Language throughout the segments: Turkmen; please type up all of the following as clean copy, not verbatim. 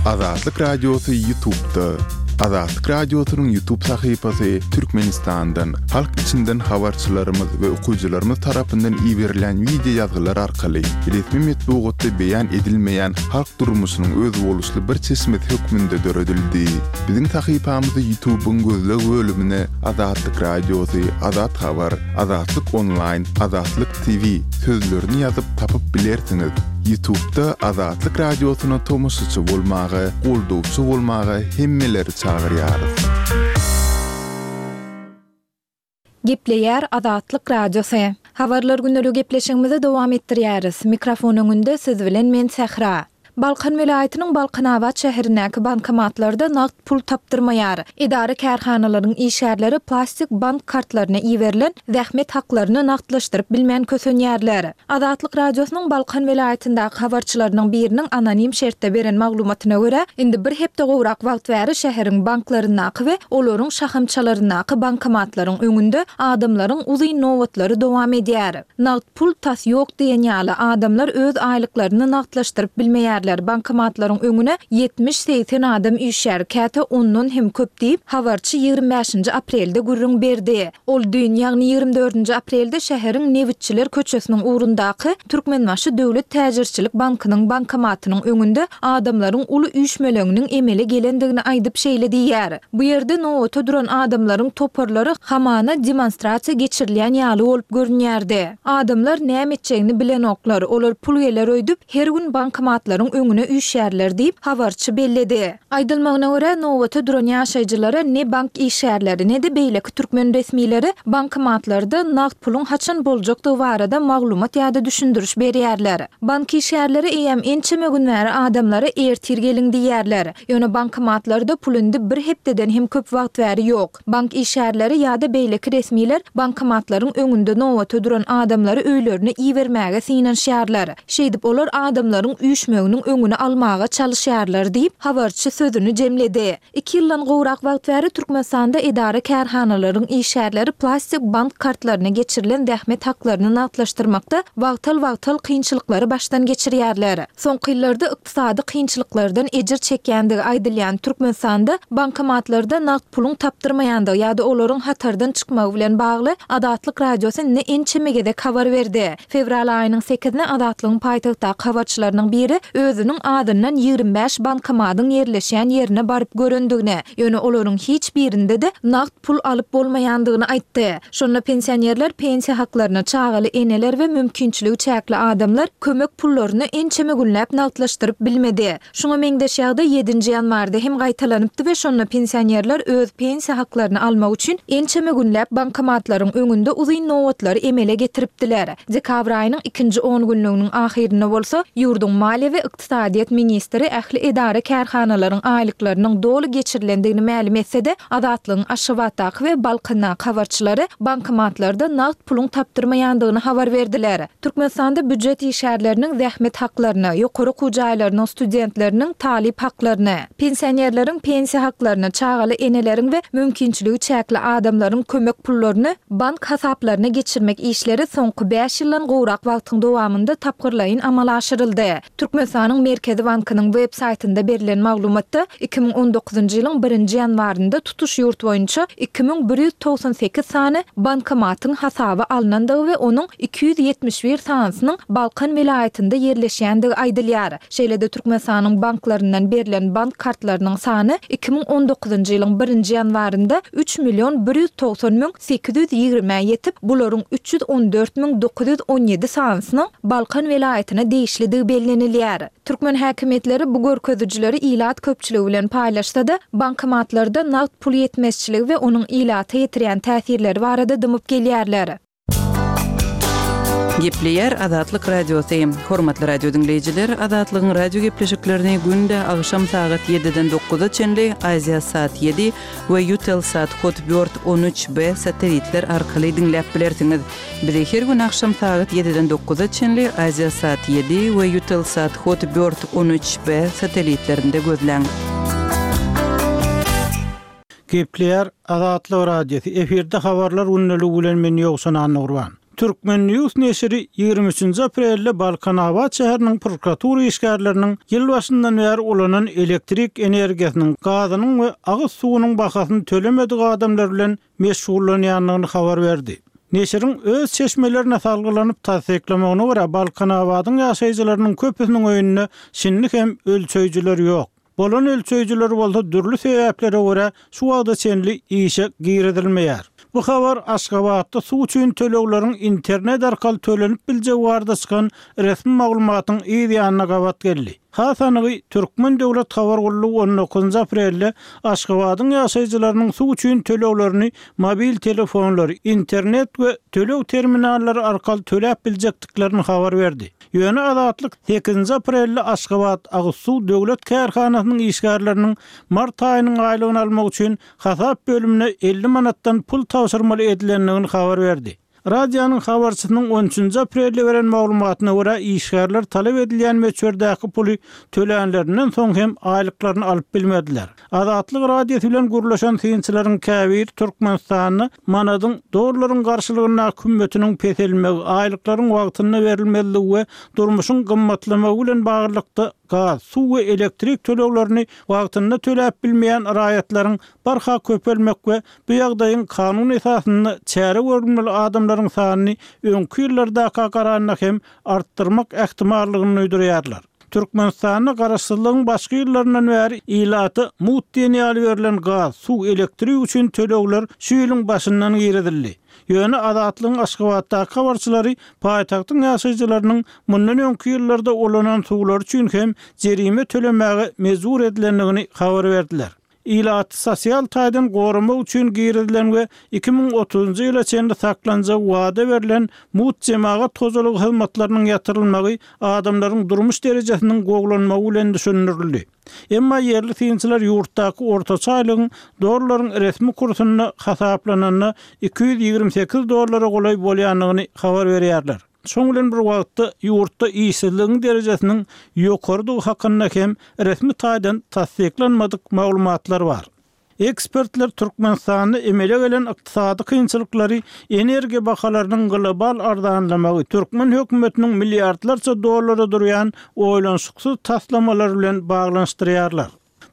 Azatlyk Radiosy Ýutubda. Azatlyk Radiosynyň Ýutub sahypasy Türkmenistandan, halk içinden habarçylarymyz we okyjylarymyz tarapyndan iberilen wideo ýazgylar arkaly resmi metbugatda beýan edilmeýän halk durmuşynyň özboluşly bir çeşmesi hökmünde döredildi. Biziň sahypamyzy Ýutubyň gözleg bölümine Azatlyk Radiosy, Azat Habar, Azatlyk Onlaýn, Azatlyk TV sözlerini ýazyp tapyp bilersiňiz. Ýutubda Azatlyk Radiosyna tomaşaçy bolmaga, goldawçy bolmaga hemmeleri çagyrýarys. Gepleýär Azatlyk Radiosy. Habarlar gündeligi gepleşigimizi dowam etdirýäris. Mikrofon öňünde siz bilen men Sähra. Balkan welaýatynyň Balkanabat şäherindäki bankomatlarda nagt pul tapdyrmaýar. Edara-kärhanalaryň işgärleri plastik bank kartlaryna iberilen zähmet haklaryny nagtlaşdyryp bilmän kösenýärler. Azatlyk Radiosynyň Balkan welaýatyndaky habarçylarynyň biriniň anonim şertde beren maglumatyna görä, indi bir hepde gowrak wagt bäri şäheriň banklaryndaky we olaryň şahamçalaryndaky bankomatlaryň öňünde adamlaryň uzyn nobatlary dowam edýär. Nagt pul tas ýok diýen ýaly, adamlar öz aýlyklaryny nagtlaşdyryp bilmeýärler, bankomatlaryň öňüne 70-80 adam üýşýär, käte ondan hem köp diýip, habarçy 25-nji aprelde gürrüň berdi. Ol düýn, ýagny 24-nji aprelde şäheriň Nebitçiler köçesiniň ugrundaky Türkmenbaşy döwlet täjirçilik bankynyň bankomatynyň öňünde adamlaryň uly üýşmeleňiniň emele gelendigini aýdyp şeýle diýýär, Bu ýerde nobata duran adamlaryň toparlary hamana demonstrasiýa geçirilýän ýaly bolup görünýärdi. Adamlar näme etjegini bilenoklar, olar pul geler öýdüp, her gün bankomatlaryň öňüne üýşýärler diýip, habarçy belledi. Aýdylmagyna görä, nobata duran ýaşaýjylara ne bank işgärleri, ne-de beýleki türkmen resmileri bankomatlarda nagt puluň haçan boljakdygy barada maglumat ýa-da düşündiriş berýärler. Bank işgärleri eýýäm ençeme gün bäri adamlara ertir geliň diýýärler. Ýöne bankomatlarda pul indi bir hepdeden hem köp wagt bäri ýok. Bank işgärleri ýa-da beýleki resmiler bankomatlaryň öňünde nobata duran adamlary öýlerine ibermäge synanyşýarlar. Şeýdip, olar adamlaryň üýşmeginiň öňüni almaga çalyşýarlar diýip, habarçy sözüni jemledi. Iki ýyldan gowrak wagt bäri Türkmenistanda edara-kärhanalaryň işgärleri plastik bank kartlaryna geçirilen zähmet haklaryny nagtlaşdyrmakda wagtal-wagtal kynçylyklary başdan geçirýärler. Soňky ýyllarda ykdysady kynçylyklardan ejir çekýändigi aýdylýan Türkmenistanda bankomatlarda nagt puluň tapdyrmaýandygy ýa-da olaryň hatardan çykmagy bilen bagly Azatlyk Radiosy indi ençeme gezek habar berdi. Fewral aýynyň sekizine Azatlygyň paýtagtdaky habarçylarynyň biri özüniň azyndan 25 bankomadyň ýerleşýän ýerine baryp görendigini, ýöne olaryň hiç birinde-de nagt pul alyp bolmaýandygyny aýtdy. Şonda pensionerler pensiýa haklaryny, çagaly eneler we mümkinçiligi çäkli adamlar kömek pullaryny ençeme günläp nagtlaşdyryp bilmedi. Şuňa meňzeş ýagdaý ýedinji ýanwarda hem gaýtalanypdy we şonda pensionerler öz pensiýa haklaryny almak üçin ençeme günläp bankomatlaryň öňünde uzyn nobatlary emele getiripdiler. Dekabr aýynyň ikinji on günlüginiň ahyrynda bolsa ýurduň maliýe we ykdysadyýet ministri ähli edara-kärhanalaryň aýlyklarynyň doly geçirilendigini mälim etse-de, Azatlygyň Aşgabatdaky we Balkandaky habarçylary bankomatlarda nagt puluň tapdyrmaýandygyny habar berdiler. Türkmenistanda býujet işgärleriniň zähmet haklaryny, ýokary okuw jaýlarynyň studentleriniň talyp haklaryny, pensionerleriň pensiýa haklaryny, çagaly eneleriň we mümkinçiligi çäkli adamlaryň kömek pullaryny bank hasaplaryna geçirmek işleri soňky bäş ýyldan gowrak wagtyň dowamynda tapgyrlaýyn amala aşyryldy. Türkmenistanyň Merkezi bankynyň web saýtynda berlen maglumatda, 2019-njy ýylyň birinji ýanwarynda tutuş ýurt boýunça 2198 sany bankomatyň hasaba alnandygy we onuň 271 sanysynyň Balkan welaýatynda ýerleşýändigi aýdylýar. Şeýle-de Türkmenistanyň banklaryndan berlen bank kartlarynyň sany 2019-njy ýylyň birinji ýanwarynda üç million 190 müň 820-ä ýetip, bularyň 314 müň 917 sanysynyň Balkan welaýatyna degişlidigi bellenilýär. Türkmen häkimiýetleri bu görkezijileri ilat köpçüligi bilen paýlaşsa-da, bankomatlarda nagt pul ýetmezçiligi we onuň ilata ýetirýän täsirleri barada dymyp gelýärler. Gepleýär Azatlyk Radiosy. Hormatly radio diňleýjiler, Azatlygyň radio gepleşiklerini günde agşam sagat ýediden dokuza çenli Aziasat ýedi we Eutelsat Hotbird 13 B satelitler arkaly diňläp bilersiňiz. Bizi her gün agşam sagat ýediden dokuza çenli Aziasat ýedi we Eutelsat Hotbird 13 B satelitlerinde gözläň. Gepleýär Azatlyk Radiosy, efirde habarlar gündeligi bilen men Ýowşan Annagurban. Turkmen. News neşiri 23-nji aprelde Balkanabat şäheriniň prokuratura işgärleriniň ýyl başyndan bäri ulanan elektrik energiýasynyň, gazynyň we agyz suwunyň bahasyny tölemedik adamlar bilen meşgullanýandygyny habar berdi. Neşiriň öz çeşmelerine salgylanyp tassyklamagyna görä, Balkanabadyň ýaşaýjylarynyň köpüsiniň öýünde şindi hem ölçeýjiler ýok. Bolan ölçeýjiler bolsa dürli sebäplere görä şu wagta çenli işe girizilmeýär. Bu habar Aşgabatda suw üçin tölegleriň internet arkaly tölenip biljegi barada çykan resmi maglumatyň yz ýanyna gabat geldi. Has anygy, Türkmen döwlet habar gullugy on dokuzynjy aprelde Aşgabadyň ýaşaýjylarynyň suw üçin töleglerini mobil telefonlary, internet we töleg terminallary arkaly töläp biljekdiklerini habar berdi. Ýöne Azatlyk sekizinji aprelde Aşgabat agyz suw döwlet kärhanasynyň işgärleriniň mart aýynyň aýlygyny almak üçin hasap bölümine 50 manatdan pul tabşyrmaly edilendigini habar berdi. Radionyň habarçysynyň on üçünji aprelde beren maglumatyna görä, işgärler talap edilýän möçberdäki puly tölänlerinden soň hem aýlyklaryny alyp bilmediler. Azatlyk Radiosy bilen gürleşen synçylaryň käbiri Türkmenistanda manadyň dollaryň garşylygyndaky hümmetiniň peselmegi, aýlyklaryň wagtynda berilmezligi we durmuşyň gymmatlamagy bilen baglylykda gaz, suw we elektrik töleglerini wagtynda töläp bilmeýän raýatlaryň barha köpelmek we bu ýagdaýyň kanun esasynda çäre görülmeli adamlaryň sanyny öňki ýyllardaka garanda hem artdyrmak ähtimallygyny duýdurýarlar. Türkmenistanda garaşsyzlygyň başky ýyllaryndan bäri ilata mugt diýen ýaly berlen gaz, suw, elektrik üçin tölegler şu ýylyň başyndan girizildi. Ýöne Azatlygyň Aşgabatdaky habarçylary paýtagtyň ýaşaýjylarynyň mundan öňki ýyllarda ulanan suwlary üçin hem jerime tölemäge mejbur edilendigini habar berdiler. Ilaty sosial taýdan goramak üçin girizilen we 2030-njy ýyla çenli saklanjagy wada berlen mugt jemagat hojalygy hyzmatlarynyň ýatyrylmagy adamlaryň durmuş derejesiniň gowulanmagy bilen düşündirildi. Emma ýerli synçylar ýurtdaky ortaça aýlygyň dollaryň resmi kursunda hasaplananda 228 dollara golaý bolýandygyny habar berýärler. Şoň bilen bir wagtda, ýurtda işsizligiň derejesiniň ýokarydygy hakynda hem resmi taýdan tassyklanmadyk maglumatlar bar. Ekspertler Türkmenistanda emele gelen ykdysady kynçylyklary energiýa bahalarynyň global arzanlamagy, türkmen hökümetiniň milliardlarça dollara durýan oýlanyşyksyz taslamalary bilen baglanyşdyrýarlar.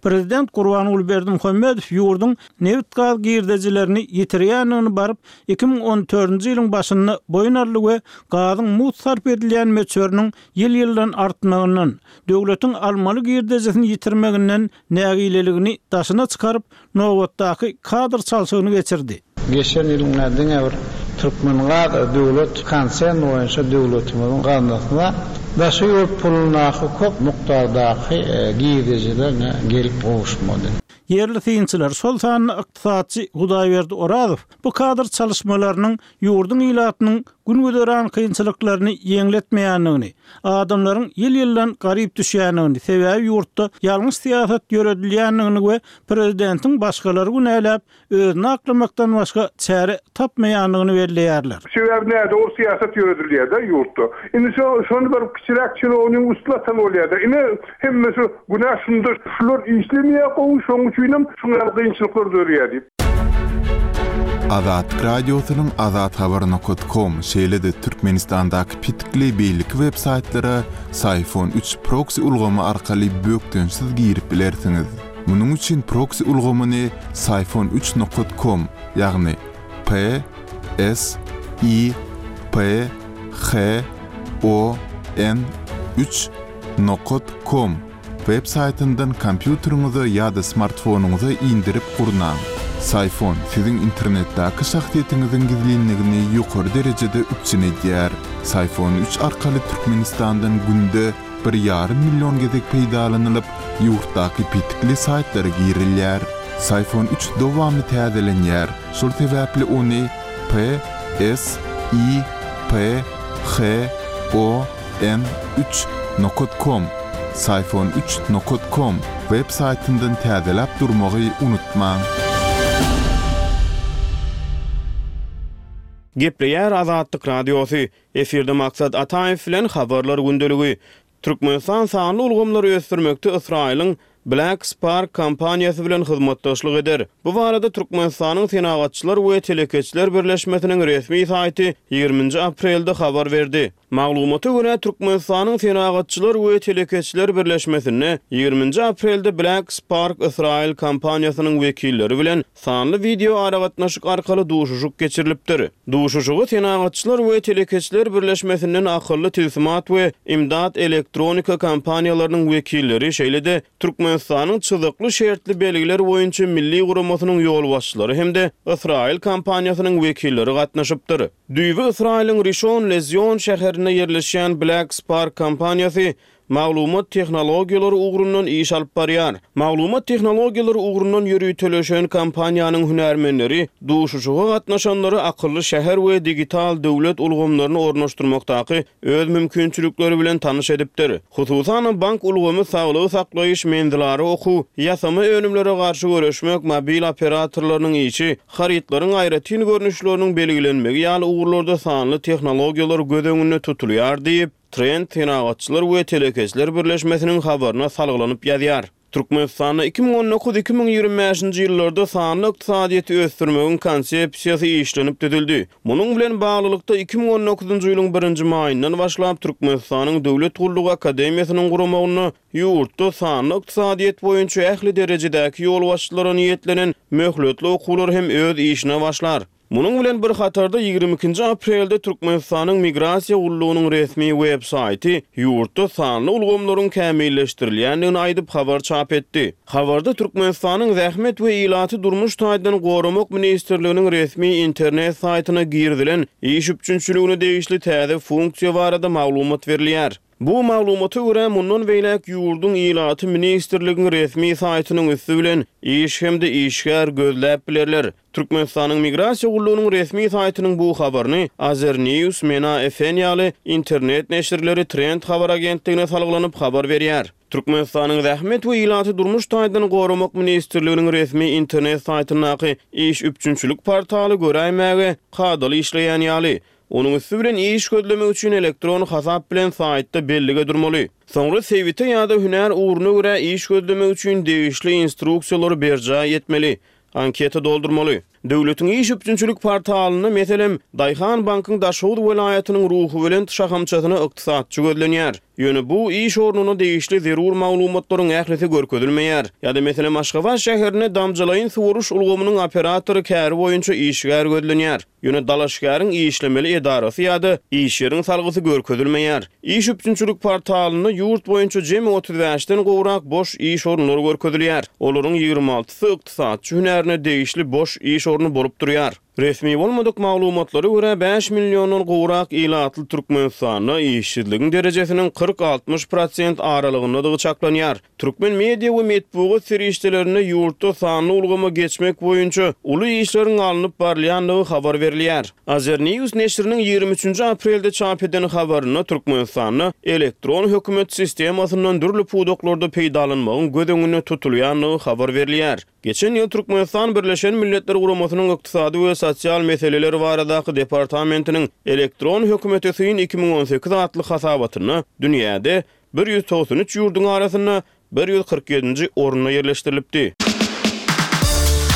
Prezident Gurbanguly Berdimuhamedow ýurduň nebit-gaz girdejilerini ýitirýändigini baryp, 2014-nji ýylyň başynda boýun aldy we gazyň mugt sarp edilýän möçberiniň ýyl-ýyldan artmagyndan, döwletiň almaly girdejisini ýitirmeginden nägileligini daşyna çykaryp, nobatdaky kadr çalşygyny geçirdi. Geçen ýylyň diňe bir Türkmengaz döwlet konserni boýunça döwletimiziň gaznasyna daşary ýurt pulundaky köp mukdardaky girdejiler gelip gowuşmady. Ýerli synçylar, şol sanda ykdysatçy Hudaýberdi Orazow bu kadr çalyşmalarynyň ýurduň ilatynyň gün-güzeran kynçylyklaryny ýeňletmeýändigini, adamlaryň ýyl-ýyldan garyp düşýändigini, sebäbi ýurtda ýalňyş syýasat ýöredilýändigini we prezidentiň başgalary günäläp, özüni aklamakdan başga çäre tapmaýandygyny belleýärler. Sebäbi nädogry syýasat ýöredilýär-de ýurtda. Indi şo şony bir kiçiräk çinownigiň üstüne atan bolýar-da. Ine, hemmesi günä şunda. Şular işlemeýär gowy, şonuň üçinem şuň ýaly kynçylyklar döreýär diýip. Azatlyk Radiosynyň Azathabar nokat kom, şeýle-de Türkmenistandaky petikli beýleki web saýtlara Syfon üç proksi ulgamy arkaly bökdençsiz girip bilersiňiz. Munuň üçin proksi ulgamyny Syfon üç nokat kom, ýagny P S I P H O N üç nokat kom web saýtyndan kompýuteriňize ýa-da smartfonyňyza indirip gurnaň. Syfon siziň internetdäki şahsyýetiňiziň gizlinligini ýokary derejede üpjün edýär. Syfon üç arkaly Türkmenistandan günde bir ýarym million gezek peýdalanylyp, ýurtdaky petikli saýtlara girilýär. Syfon üç dowamly täzelenýär, şol sebäpli ony P S I P H O N üç nokat kom, Syfon üç nokat kom, web saýtyndan täzeläp durmagy unutmaň. Gepleýär Azatlyk Radiosy, Efirde Maksat Ataýew bilen Habarlar gündeligi. Türkmenistan sanly ulgamlary ösdürmekde Ysraýylyň Black Spark kompaniýasy bilen hyzmatdaşlyk eder. Bu barada Türkmenistanyň Senagatçylar we telekeçiler birleşmesiniň resmi saýty ýigriminji aprelde habar berdi. Maglumata görä, Türkmenistanyň Senagatçylar we telekeçiler birleşmesinde ýigriminji aprelde Black Spark ysraýyl kompaniýasynyň wekilleri bilen sanly wideoaragatnaşyk arkaly duşuşyk geçirilipdir. Duşuşyga Senagatçylar we telekeçiler birleşmesinden Akylly tilsimat we Imdat elektronika kompaniýalarynyň wekilleri, şeýle-de Türkmenistanyň Çyzykly şertli belgiler boýunça milli guramasynyň ýolbaşçylary hem-de Ysraýyl kompaniýasynyň wekilleri gatnaşypdyr. Düýbi Ysraýylyň Rişon Lezion şäherinde ýerleşýän Black Spark kompaniýasy maglumat tehnologiýalary ugrundan iş alyp barýar. Maglumat tehnologiýalary ugrundan ýöriteleşen kompaniýanyň hünärmenleri duşuşyga gatnaşanlary akylly şäher we digital döwlet ulgamlaryny ornaşdyrmakdaky öz mümkinçilikleri bilen tanyş edipdir. Hususan-da, bank ulgamy, saglygy saklaýyş, menzilara okuw, ýasama önümlere garşy göreşmek, mobil operatorlarynyň işi, harytlaryň aýratyn görnüşleriniň belgilenmegi ýaly ugurlarda sanly tehnologiýalar göz öňünde tutulýar diýip, Trend Senagatçylar we telekeçiler birleşmesiniň habaryna salgylanyp ýazýar. Türkmenistanda 2019, 2025-nji ýyllarda sanly ykdysadyýeti ösdürmegiň Konsepsiýasy işlenip düzüldi. Munuň bilen baglylykda, 2019-njy ýylyň birinji maýyndan başlap Türkmenistanyň Döwlet gullugy akademiýasynyň guramagynda ýurtda sanly ykdysadyýet boýunça ähli derejedäki ýolbaşçylara niýetlenen möhletli okuwlar hem öz işine başlar. Munuň bilen bir hatarda, 22 nji aprelde Türkmenistanyň Migrasiýa gullugynyň resmi web saýty ýurtda sanly ulgamlaryň kämilleşdirilýändigini aýdyp habar çap etdi. Habarda Türkmenistanyň Zähmet we ilaty durmuş taýdan goramak ministrliginiň resmi internet saýtyna girizilen iş üpjünçiligine degişli täze funksiýa barada maglumat berilýär. Bu maglumata görä, mundan beýläk ýurduň ilaty ministrligiň resmi saýtynyň üsti bilen iş hem-de işgär gözläp bilerler. Türkmenistanyň Migrasiýa gullugynyň resmi saýtynyň bu habaryny Azernews, Mena FN ýaly internet neşirleri Trend habar agentligine salgylanyp habar berýär. Türkmenistanyň Zähmet we ilaty durmuş taýdan goramak ministrliginiň resmi internet saýtyndaky iş üpjünçilik portaly göräýmäge kadaly işleýän ýaly. Onuň üsti bilen iş gözlemek üçin elektron hasap bilen saýtda bellige durmaly. Soňra sebite ýa-da hünär ugruna görä iş gözlemek üçin degişli instruksiýalary berjaý etmeli, anketa doldurmaly. Döwletiň iş üpjünçilik portalynda, meselem, Daýhan bankyň Daşoguz welaýatynyň Ruhubelent şahamçasyna ykdysatçy gözlenýär. Ýöne bu iş ornuna degişli zerur maglumatlaryň ählisi görkezilmeýär. Ýa-da, meselem, Aşgabat şäherinde damjalaýyn suwaryş ulgamynyň operatory käri boýunça işgär gözlenýär. Ýöne dalaşgäriň işlemeli edarasy ýa-da iş ýeriň salgysy görkezilmeýär. Iş üpjünçilik portalynda ýurt boýunça jemi 35 den gowrak boş iş orunlary görkezilýär. Olaryň 26-sy ykdysatçy hünärine degişli boş iş orny bolup durýar. Resmi bolmadyk maglumatlara görä, bäş milliondan gowrak ilatly Türkmenistanda işsizligiň derejesiniň 40-60 prosent aralygyndadygy çaklanýar. Türkmen media we metbugat serişdelerinde ýurtda sanly ulgama geçmek boýunça uly işleriň alnyp barylýandygy habar berilýär. Azernews neşiriniň 23 nji aprelde çap eden habarynda Türkmenistanda elektron hökümet sistemasyndan dürli pudaklarda peýdalanmagyň göz öňünde tutulýandygy habar berilýär. Geçen ýyl Türkmenistan Birleşen Milletler Guramasynyň Ykdysady we sosial meseleler baradaky departamentiniň Elektron hökümete syn 2018 atly hasabatynda dünýäde 193 ýurduň arasynda 147-nji orunda ýerleşdirilipdi.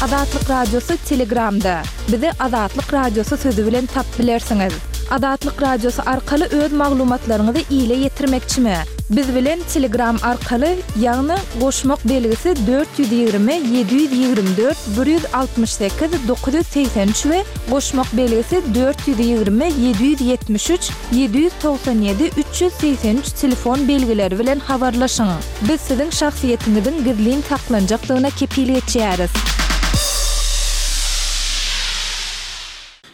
Azatlyk Radiosy Telegramda. Bizi Azatlyk Radiosy sözi bilen tapyp bilersiňiz. Azatlyk Radiosy arkaly öz maglumatlaryňyzy ile ýetirmekçimi? Biz bilen Telegram arkaly, ýagny goşmak belgisi 420 724 168 983 we goşmak belgisi 420 773 797 383 telefon belgileri bilen habarlaşyň. Biz siziň şahsyýetiňiziň gizlin saklanjakdygyna kepil geçýäris.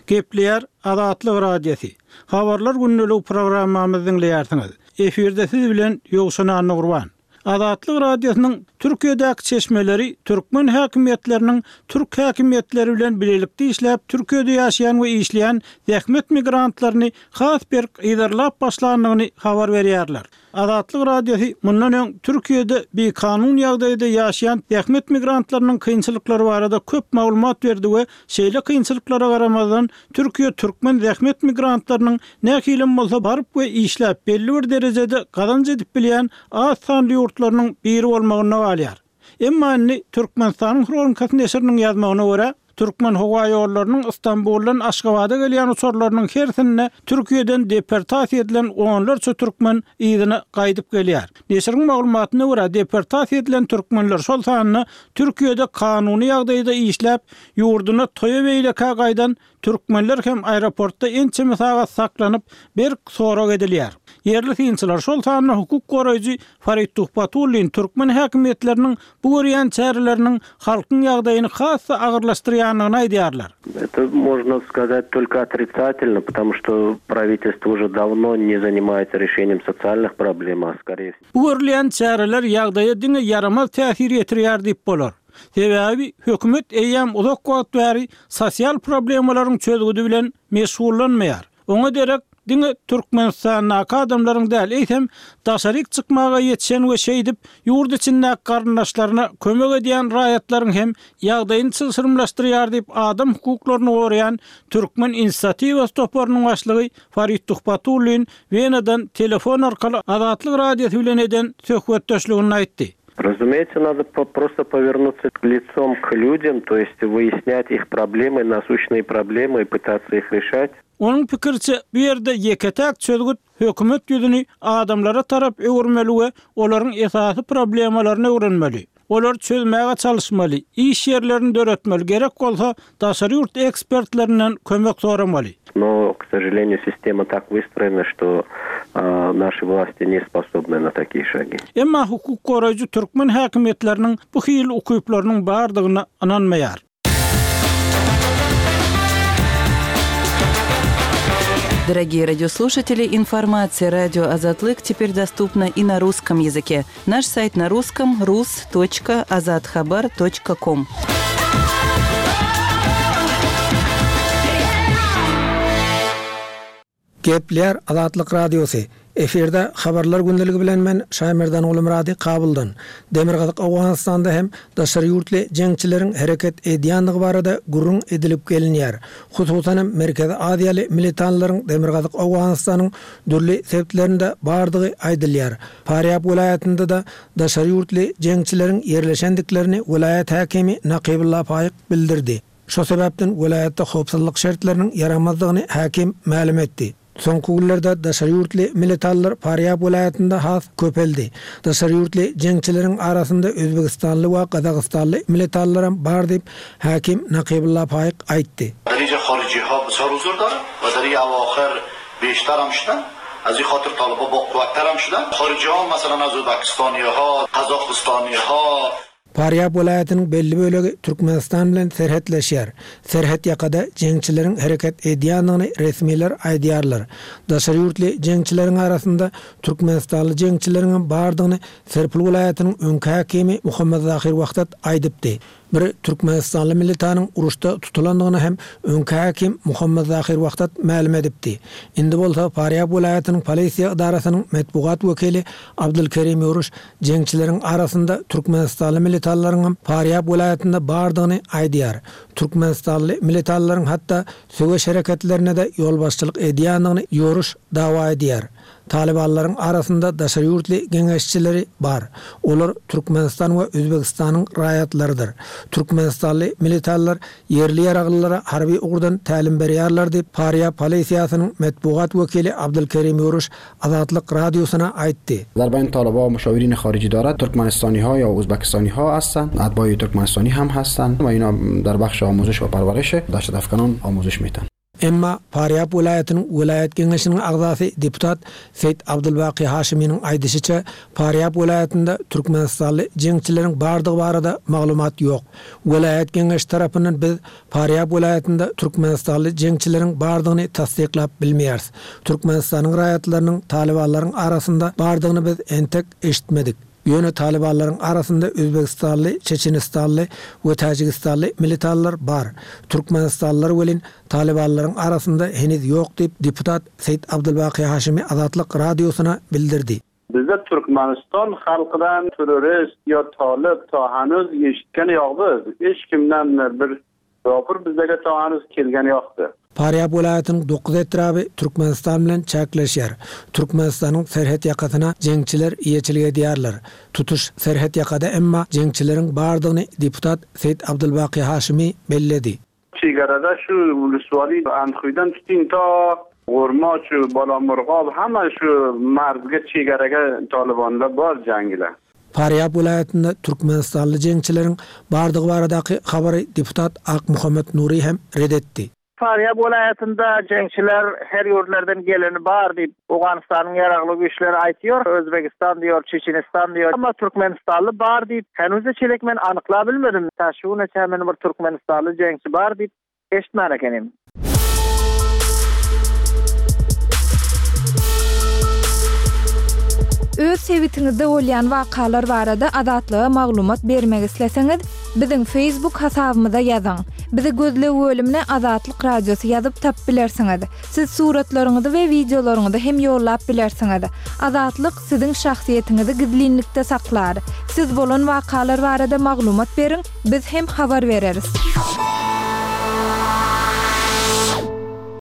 Gepleýär Azatlyk Radiosy. Habarlar gündeligi programmamyzy diňleýärsiňiz. Efirde siz bilen Ýowşan Annagurban. Azatlyk Radiosynyň Türkiýedäki çeşmeleri türkmen häkimiýetleriniň türk häkimiýetleri bilen bilelikde işläp Türkiýede ýaşaýan we işleýän zähmet migrantlaryny has berk yzarlap başlandygyny habar berýärler. Azatlyk Radiosy mundan öň Türkiýede bikanun ýagdaýda ýaşaýan zähmet migrantlarynyň kynçylyklary barada köp maglumat berdi we şeýle kynçylyklara garamazdan Türkiýe türkmen zähmet migrantlarynyň nähilem bolsa baryp we işläp belli bir derejede gazanç edip bilýän az sanly ýurtlarynyň biri bolmagynda galýar. Emma indi Türkmenistanyň Hronikasy neşiriniň ýazmagyna görä, Türkmenhowaýollarynyň Stambuldan Aşgabada gelýän uçarlarynyň hersinde Türkiýeden deportasiýa edilen onlarça türkmen yzyna gaýdyp gelýär. Neşiriň maglumatyna görä, deportasiýa edilen türkmenler, şol sanda Türkiýede kanuny ýagdaýda işläp, ýurduna toýa-beýlekä gaýdan Türkmenler hem aeroportda ençeme sagat saklanyp, berk sorag edilýär. Ýerli synçylar, şol sanda hukuk goraýjy Farid Tuhbatullin türkmen häkimiýetleriniň bu görýän çäreleriniň halkyň ýagdaýyny has-da agyrlaşdyrýandygyny aýdýarlar. Это можно сказать только отрицательно, потому что правительство уже давно не занимается решением социальных проблем, а скорее. Bu görülýän çäreler ýagdaýa diňe ýaramaz täsir ýetirýär diýip bolar. Sebäbi hökümet eýýäm uzak wagt bäri sosial problemalaryň çözgüdi bilen meşgullanmaýar. Oňa derek diňe Türkmenistandaky adamlaryň däl, eýsem, daşaryk çykmaga ýetişen we şeýdip, ýurt içindäki garyndaşlaryna kömek edýän raýatlaryň hem ýagdaýyny çylşyrymlaşdyrýar diýip, adam hukuklaryny goraýan Türkmen inisiatiwasy toparynyň başlygy Farid Tuhbatullin Wenadan telefon arkaly Azatlyk Radiosy bilen eden söhbetdeşliginde aýtdy. Разумеется, надо просто повернуться лицом к людям, то есть выяснять их проблемы, насущные проблемы и пытаться их решать. Onuň pikiriçe, bu ýerde ýeke-täk çözgüt hökümet ýüzüni adamlara tarap öwürmeli we olaryň esasy problemalaryny öwrenmeli. Olary çözmäge çalyşmaly, iş ýerlerini döretmeli, gerek bolsa, daşary ýurt ekspertlerinden kömek soramaly. No, k sožaleniýu, sistema tak wystroýena, şto naşi wlasti ne sposobny na takiýe şagi. Emma hukuk goraýjy türkmen häkimiýetleriniň bu hili ukyplarynyň bardygyna ynanmaýar. Дорогие радиослушатели, информация радио Азатлык теперь доступна и на русском языке. Наш сайт на русском rus.azathabar.com. Gepleýär Azatlyk Radiosy. Efirde Habarlar gündeligi bilen men Şaýmerdan Gulumyrady Kabuldan. Demirgazyk Owganystanda hem daşary ýurtly jeňçileriň hereket edýändigi barada gürrüň edilip gelinýär. Hususan hem Merkezi Aziýaly militanlaryň Demirgazyk Owganystanyň dürli sebitlerinde bardygy aýdylýar. Farýab welaýatynda-da daşary ýurtly jeňçileriň ýerleşendiklerini welaýat häkimi Nakybulla Faýyk bildirdi. Şo sebäpden welaýatda howpsuzlyk şertleriniň ýaramazdygyny häkim mälim etdi. Soňky günlerde daşary ýurtly militanlar Farýab welaýatynda has köpeldi. Daşary ýurtly jeňçileriň arasynda özbegistanly we gazagystanly militanlaram bar diýip, häkim Nakybulla Faýyk aýtdy. در اینجا خارجی ها بسیار حضور دارند و در این اواخر بیشتر هم شدن از این خاطر طالبا با قوتتر هم شدن خارجی ها مثلا از ازبکستانی ها قزاقستانی ها Farýab welaýatynyň belli bölegi Türkmenistan bilen serhetleşýär. Serhet ýakada jeňçileriň hereket edýändigini resmiler aýdýarlar. Daşary ýurtly jeňçileriň arasynda türkmenistanly jeňçileriňem bardygyny Serpil welaýatynyň öňki häkimi Muhammad Zahir Wahdat aýdypdy. Bir türkmenistanly militanyň uruşda tutulandygyny hem öňki häkim Muhammad Zahir Wahdat mälim edipdi. Indi bolsa Farýab welaýatynyň polisiýa edarasynyň metbugat wekili Abdulkerim Ýoruş jeňçileriň arasynda türkmenistanly militanlaryňam Farýab welaýatynda bardygyny aýdýar. Türkmenistanly militanlaryň hatda söweş hereketlerine-de ýolbaşçylyk edýändigini Ýoruş dawa edýär. Talybanlaryň arasynda daşary ýurtly geňeşçileri bar. Olar Türkmenistan we Özbegistanyň raýatlarydyr. Türkmenistanly militanlar ýerli ýaraglylara harby ugurdan tälim berýärler diýip, Farýab polisiýasynyň metbugat wekili Abdulkerim Ýoruş Azatlyk Radiosyna aýtdy. در بین طالبا مشاورین خارجی دارد ترکمنستانی ها یا ازبکستانی ها هستند اتباع ترکمنستانی هم هستند و اینا در بخش آموزش و پرورش دهشت افکنان آموزش میتن. Emma Farýab welaýatynyň welaýat geňeşiniň agzasy deputat Seýit Abdulbaky Haşiminiň aýdyşyça, Farýab welaýatynda türkmenistanly jeňçileriň bardygy barada maglumat ýok. Welaýat geňeşi tarapyndan biz Farýab welaýatynda türkmenistanly jeňçileriň bardygyny tassyklap bilmeýäris. Türkmenistanyň raýatlarynyň talybanlaryň arasynda bardygyny biz entek eşitmedik. Ýöne talybanlaryň arasynda özbegistanly, çeçenistanly we täjigistanly militanlar bar. Türkmenistanlylar welin talybanlaryň arasynda heniz ýok diýip, deputat Seýit Abdulbaky Haşimi Azatlyk Radiosyna bildirdi. Bizde Türkmenistan halkydan terrorist ýa talyp ta hanuz eşitgen ýok biz. Hiç kimden bir. Ýopur bizdege to hanuz kelgeni ýokdy. Farýab welaýatynyň dokuz etraby Türkmenistan bilen çäkleşýär. Türkmenistanyň serhet ýakasyna jeňçiler eýeçilik edýärler. Tutuş serhet ýakada emma jeňçileriň bardygyny deputat Seýit Abdulbaky Haşymy belledi. Çegarada şu Ulusuwali Andhuýdan tutyň ta Gurma şu Balamurgap hemme şu marzga çegaraga talybanlar bar jaňgiler. Farýab welaýatynda türkmenistanly jeňçileriň bardygy baradaky habary deputat Akmuhammet Nury hem ret etdi. Farýab welaýatynda jeňçiler her ýurtlardan geleni bar diýip, Owganystanyň ýaragly güýçleri aýtýar, Özbegistan diýýär, Çeçenistan diýýär, emma türkmenistanly bar diýip, henize çelek men anyklabilmedim. Ta şu güne çenli men bir türkmenistanly jeňçi bar diýip eşitmän ekenim. Öz sebitiňizde bolýan wakalar barada Azatlyga maglumat bermek isleseňiz, biziň Facebook hasabymyza ýazyň. Bizi gözleg bölümine Azatlyk Radiosy ýazyp tapyp bilersiňiz. Siz suratlaryňyzy we wideolaryňyzy hem ýollap bilersiňiz. Azatlyk siziň şahsyýetiňizi gizlinlikde saklar. Siz bolan wakalar barada maglumat beriň, biz hem habar bereris.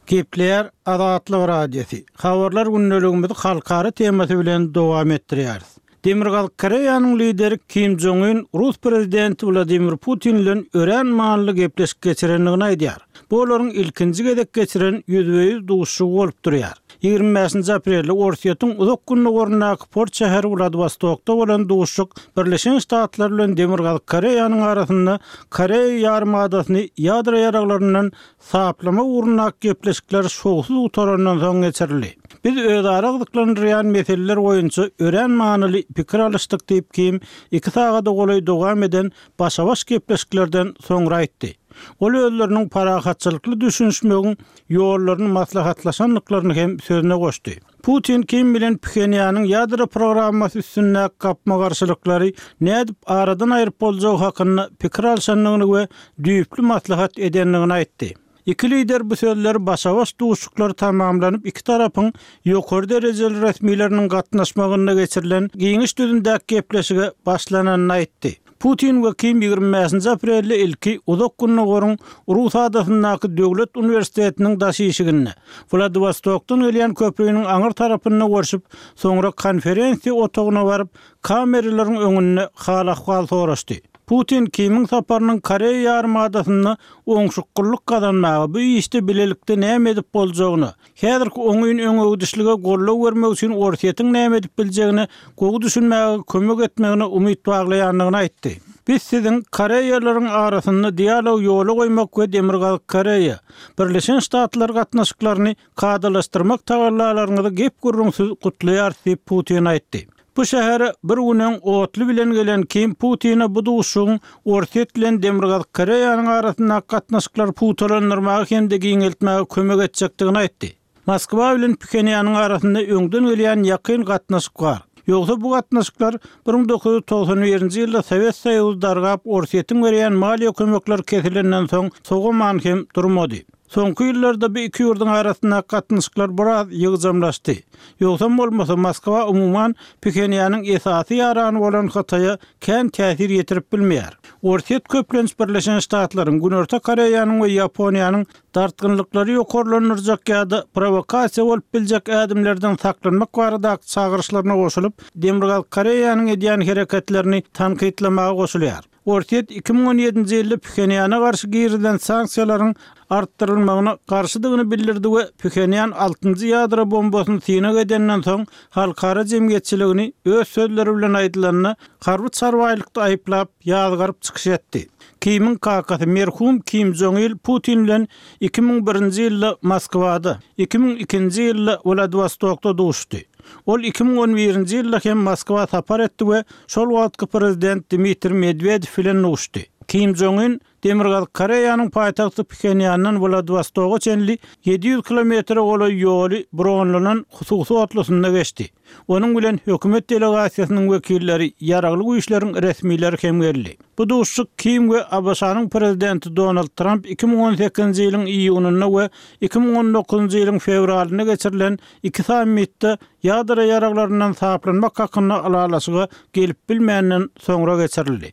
Gepleýär Azatlyk Radiosy. Habarlar gündeligimizi halkara temasy bilen dowam etdirýäris. Demirgazyk Koreýanyň lideri Kim Jong Un rus prezidenti Wladimir Putin bilen örän manyly gepleşik geçirendigini aýdýar. Bu olaryň ilkinji gezek geçiren ýüzbe-ýüz duşuşygy bolup durýar. 25-nji aprelde Orsýetiň uzak gündogaryndaky port şäheri Wladiwostokda bolan duşuşyk Birleşen Ştatlar bilen Demirgazyk Koreýanyň arasynda Koreýa ýarymadasyny ýadro ýaraglaryndan Saplama ugrundaky gepleşikler şowsuz gutarandan soň geçirildi. Biz özara gyzyklandyrýan meseleler boýunça örän manyly pikir alyşdyk diýip, Kim iki sagada golaý dowam eden başa-baş gepleşiklerden soňra aýtdy. Ol özleriniň parahatçylykly düşünişmegiň ýollaryny maslahatlaşandyklaryny hem sözüne goşdy. Putin Kim bilen Phenýanyň ýadro programmasy üstündäki gapma-garşylyklary nädip aradan aýryp boljagy hakynda pikir alşandygyny we düýpli maslahat edendigini aýtdy. Iki lider bu sözleri başa-baş duşuşyklar tamamlanyp iki tarapyň ýokary derejeli resmileriniň gatnaşmagynda geçirilen giňiş düzümdäki gepleşige başlananyny aýtdy. Putin we Kim 25-nji aprelde ilki Uzak Gündogaryň Rus adasyndaky döwlet uniwersitetiniň daş işiginde, Wladiwostokdan gelýän köprüniň aňyr tarapynda görşüp, soňra konferensiýa otagyna baryp, kameralaryň öňünde hal-ahwal soraşdy. Putin Kimiň saparynyň Koreýa ýarymadasynda oňşukgullyk gazanmaga, bu işde bilelikde näme edip boljagyna, Häzirki oňyn öňegidişlige goldaw bermek üçin Orsýetiň näme edip biljegine gowy düşünmäge kömek etmegine umyt baglaýandygyny aýtdy. Biz siziň Koreýalaryň arasynda dialog ýola goýmak we Demirgazyk Koreýa, Birleşen Ştatlar gatnaşyklaryny kadalaşdyrmak tagallalaryňyzy gep-gürrüňsiz gutlaýarys diýip, Putin aýtdy. Bu şähere bir gün öň otly bilen gelen Kim Putine bu duşuşygyň Orsýet bilen Demirgazyk Koreýanyň arasyndaky gatnaşyklary pugtalandyrmaga hem-de giňeltmäge kömek etjekdigini aýtdy. Moskwa bilen Phenýanyň arasynda öňden gelýän ýakyn gatnaşyk bar. Ýogsa bu gatnaşyklar 1991-nji ýylda Sowet Soýuzy dargap, Orsýetiň berýän maliýe kömekleri kesilenden soň sowaman hem durmady. Soňky ýyllarda bu iki ýurduň arasyndaky gatnaşyklar biraz ýygjamlaşdy. Ýogsam bolmasa, Moskwa umuman Phenýanyň esasy ýarany bolan Hytaýa kän täsir ýetirip bilmeýär. Orsýet köplenç Birleşen Ştatlaryň, Günorta Koreýanyň we Ýaponiýanyň dartgynlyklary ýokarlandyrjak ýa-da prowokasiýa bolup biljek ädimlerden saklanmak baradaky çagyryşlaryna goşulyp, Demirgazyk Koreýanyň edýän hereketlerini tankytlamaga goşulýar. Orsýet 2017-nji ýylda Phenýana garşy girizilen sanksiýalaryň artdyrylmagyna garşydygyny bildirdi we Phenýan altynjy ýadro bombasyny synag edenden soň halkara jemgyýetçiligini öz sözleri bilen aýdylanda harby çarbaýlykda aýyplap ýazgaryp çykyş etdi. Kimiň kakasy merhum Kim Jong Il Putin bilen 2001-nji ýylda Moskwada, 2002-nji ýylda Wladiwostokda duşdy. Ol 2011-nji ýylda hem Moskwa sapar etdi we şol wagtky prezident Dmitriý Medwedew bilen duşdy. Kim Jong Un Demirgazyk Koreýanyň paýtagty Phenýandan Wladiwostoga çenli 700 kilometre golaý ýoly bronlanan hususy otlusynda geçdi. Onuň bilen hökümet delegasiýasynyň wekilleri, ýaragly güýçleriň resmileri hem geldi. Bu duşuşyk Kim we ABŞ-nyň prezidenti Donald Tramp 2018-nji ýylyň iýunynda we 2019-njy ýylyň fewralynda geçirilen Iki sammitde ýadro ýaraglaryndan saplanmak hakynda ylalaşyga gelip bilmänden soňra geçirildi.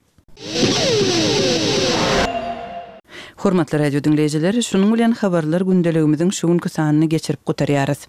Hormatly radio diňleýjiler, şunuň bilen Habarlar gündeligimiziň şu günki sanyny geçirip gutarýarys.